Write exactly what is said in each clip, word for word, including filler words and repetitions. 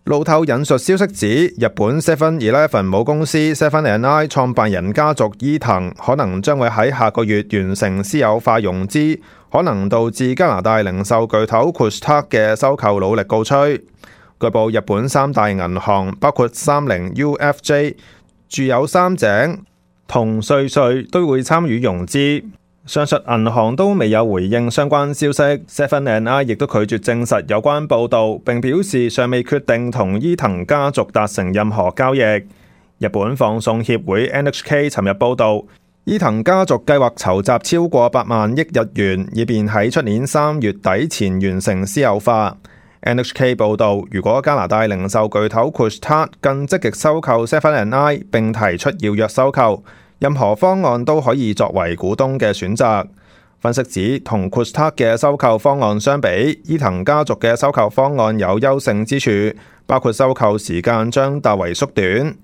路透引述消息指，日本 Seven Eleven 母公司 Seven and I 創辦人家族伊藤可能將會喺下個月完成私有化融資，可能導致加拿大零售巨頭 Couche-Tard 嘅收購努力告吹。據報，日本三大銀行包括三菱 U F J、住友三井同瑞瑞都會參與融資。上述銀行都未有回應相關消息 ，Seven and I 亦都拒絕證實有關報導，並表示尚未決定同伊藤家族達成任何交易。日本放送協會 N H K 尋日報導，伊藤家族計劃籌集超過八萬億日元，以便喺出年三月底前完成私有化。N H K 報導，如果加拿大零售巨頭 Couche-Tard 更積極收購 Seven and I 並提出要約收購，任何方案都可以作為股東嘅選擇。分析指，同 Couche-Tard 嘅收購方案相比，伊藤家族嘅收購方案有優勝之處，包括收購時間將大為縮短。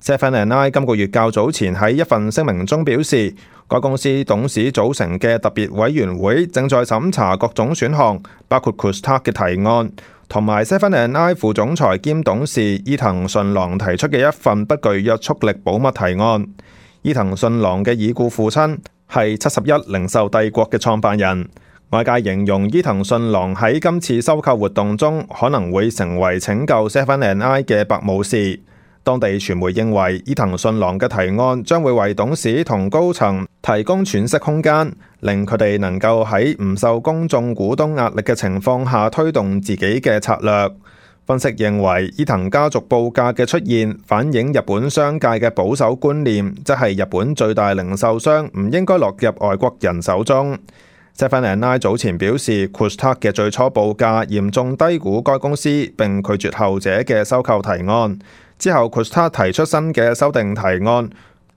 Seven and I 今個月較早前喺一份聲明中表示，該公司董事組成嘅特別委員會正在審查各種選項，包括 Couche-Tard 嘅提案，同埋 Seven and I 副總裁兼董事伊藤順郎提出嘅一份不具約束力保密提案。伊藤順郎嘅已故父親係七十一零售帝國嘅創辦人，外界形容伊藤順郎喺今次收購活動中可能會成為拯救 Seven and I 嘅白武士。當地傳媒認為，伊藤順郎嘅提案將會為董事同高層提供喘息空間，令佢哋能夠喺唔受公眾股東壓力嘅情況下推動自己嘅策略。分析認為，伊藤家族報價嘅出現反映日本商界嘅保守觀念，即係日本最大零售商唔應該落入外國人手中。Seven and I 早前表示 Couche-Tard 嘅最初報價嚴重低估該公司，並拒絕後者嘅收購提案。之後 Couche-Tard 提出新嘅修訂提案，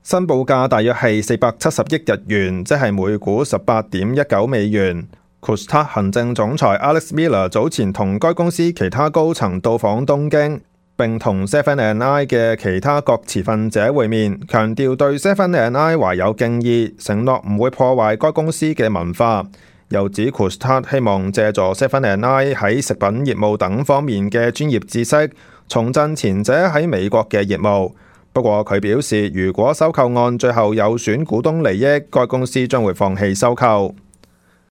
新報價大約係四百七十億日元，即係每股十八點一九美元。Couche-Tard 行政總裁 Alex Miller 早前同該公司其他高層到訪東京，並同 Seven and I 嘅其他各持份者會面，強調對 Seven and I 懷有敬意，承諾唔會破壞該公司嘅文化。又指 Couche-Tard 希望借助 Seven and I 喺食品業務等方面嘅專業知識，重振前者喺美國嘅業務。不過佢表示，如果收購案最後有損股東利益，該公司將會放棄收購。